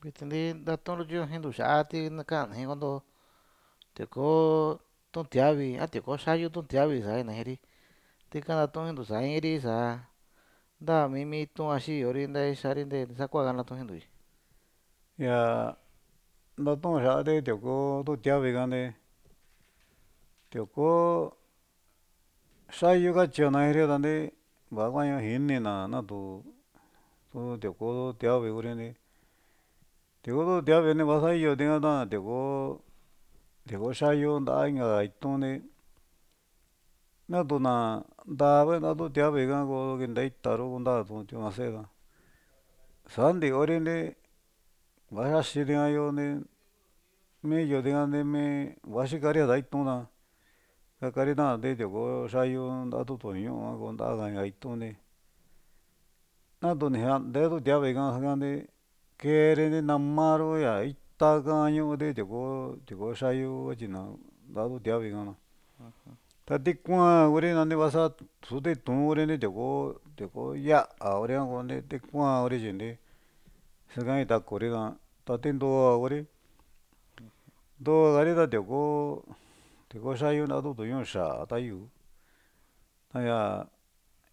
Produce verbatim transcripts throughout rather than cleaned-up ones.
Vitin ntatun luchio jintu xa'a ti kaana xii kunto tiokó tu'un tiavi, a tioko xayu tu'un tiavi saa ina xiiri, tika ntatu'untu saa iinri saa nta mii mi itu'un va xiyori nta xaari sakua ntatu'un xiintui. Yaa ntatu'u xia'ati tioko tu tiavi ika nti tioko xayu kachiana xi'iri ra nti vaá kuañu jinina natu tu tioko tiavi kuri nti tioko tu tiavi ni vasa iyo tika ta tioko tioko xayu nta'a inka ka itun ndi naatu na ntaa kuenda tu tiavi ka ko kinte ita ru kunta chiñu see ta sa ntikori nti va xaxi tika yo nti mi iyo tika mi va xikari ta itun ta kakari tanti tioko xayu nta'a tu toñu'u a ko nta'a inka itun nti natu ni xante tu tiavi ka nti keeri namaru ña ita ka ño'o tioko tioko xayu kachina nta'a tu tiavi ka na ta ti kuan kuri vasa su titu'n kuri tioko tioko yá'a kuri konti ti kuan kuri chinti xakan kitakuri ta ti ndoa kuri ndoakari ta tioko tioko xayu nra tu toñu'u xaa ta yuu ta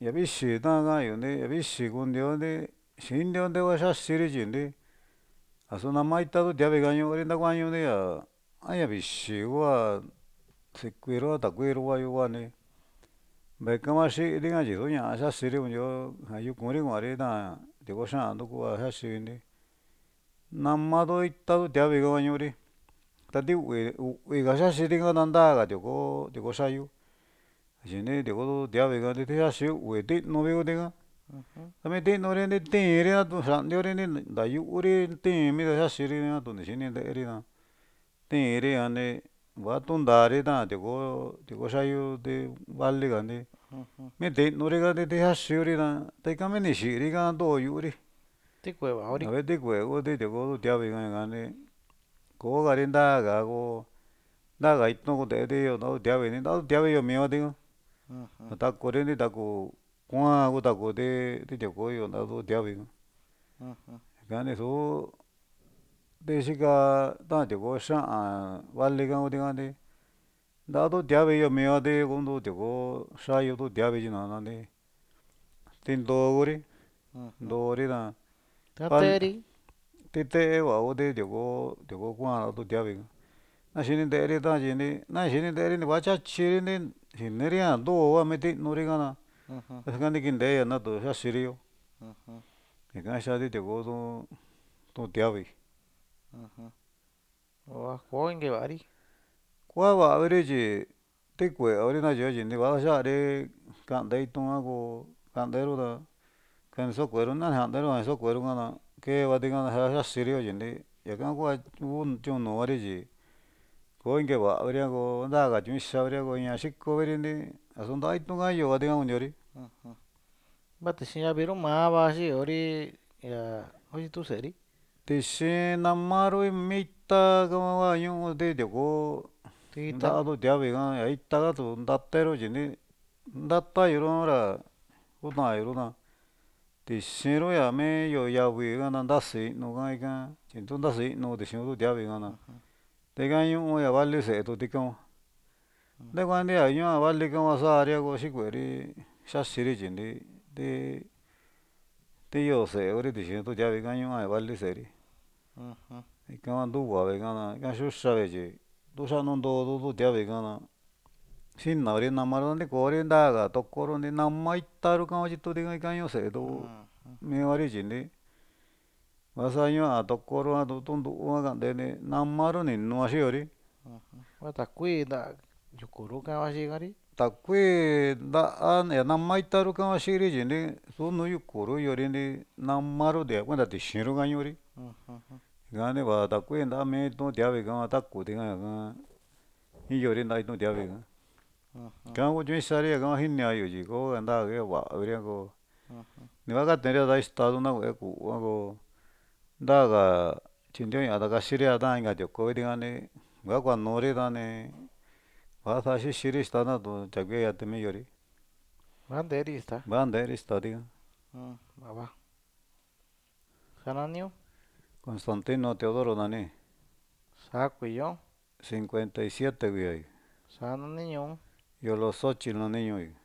ña vixi ta kaanyu ña vixi koneo nri xinio nrua xaxiri chinti asu nama ita tu tiavi ka ño'ori dakuañoni ña a ña vixi hua xikuiro a takuii huanti vekahuan xhitikan chi oduña xaxiri konchio jan yukun kuanri tán tioko xhian nruku va xaxi nama tu ita tu tiavii jan ñori ta ti u'vi u'viga xaxi tikan ta nraga tioko tioko xayó xhini tioko tu tiavii jan kiti xaxi u'vi tinovi ngu kitijan ta mi tinori tinri xandiori nrayuri tin mita xaxiri tu ni xhini nreri tá tinri jan ní va tonnari tán tioko tioko xayu ti valijan ní mi tinorijan tixaxi nguri ta ta ikan ni xhirijan ndo yuri Tikue vaori nave tikue nguti tioko tu tiavii jan ña kani kogari nraga kó nraga itón kondeti nra tu tiavii nra tu tiavii yo miga dikan takuri ni taku kuan kutakuti ti tioko nra tu tiavii jan ñakan ni xu nrixhika tan tioko xhian vali ka ngu dikanti nra tu tiavii yo mivati konro tioko xayó tu tiavii xhinananrí tinro ngunri nrori tán Ateri tite va nguti tioko tioko kuan tu tiavii naxhini nreri tán xhini naxhininreri va chachí ni xhinirijan nroa mitinori jan ná xhikani kinreya na tó xaxhiri yó ñajan kixati tioko tó tiavii. Ho koi kevari kua vavari chí tikue nrivaxhi chi nrivayari kande itón jan kó kandero tá kani xakuero na janero jan xakuero jana kevati jan xaxinrio xhinri ñajan hua chionovari chí koi kevavari ko nraga mixavari ña xhikovinri axu nra itún jan yo'o konreori. Va tixhi avirumava xhionrí ña tu xeri Tixhin namaro mitá nguañoti tioko Itá nra tu tiavii jan ña itá tó nratero xhini nratayó hora kutanyo ná tixhinro ña medio yavii nraxi no ikan xhi no nraxi no tiavii jana tekaño ña vali xeetu dikon nrekuanria ñoa vali kamaxaria xhikueri xhaxiri xhinri ti tiyo xeeri tixhi tu tiavii kañoa vali xeeri ikan nruhua ikan yuxa vixhi tuxhano nrodo tu tiavii jana xhinari nama nrikori nraga tokoro ni nama itanró kanyito dikan ñoo xedo mivari xhini vaxañoa tokoro tunru kandene namanro ni noaxhiori. Va takuii tá yuku nruka xhikari Ta kuii nra nama itanru kavaxhiri xhini xunu yuku nruyurini namaro de cuenta tixhinro kañonrí ñani va takuii nrami no tiavii jan ta kú dikan jan iyonri nra no tiavii jan kangu xhixanrí ña kaji ni ko nra va kó nivagatenria estado na kú ako nraga xhinreña dakaxhiria tan inka tioko dikani nguakuanori dani nguaxa xhixhiri extana tó chakuiya temiyorí Vanderi está vanderi exta dikan. Va va jananio. Constantino Teodoro nani. Saá kuiyo. Cincuenta y siete kuiai. Saá nani ñu'u. Yoloxóchitl nani ñuui.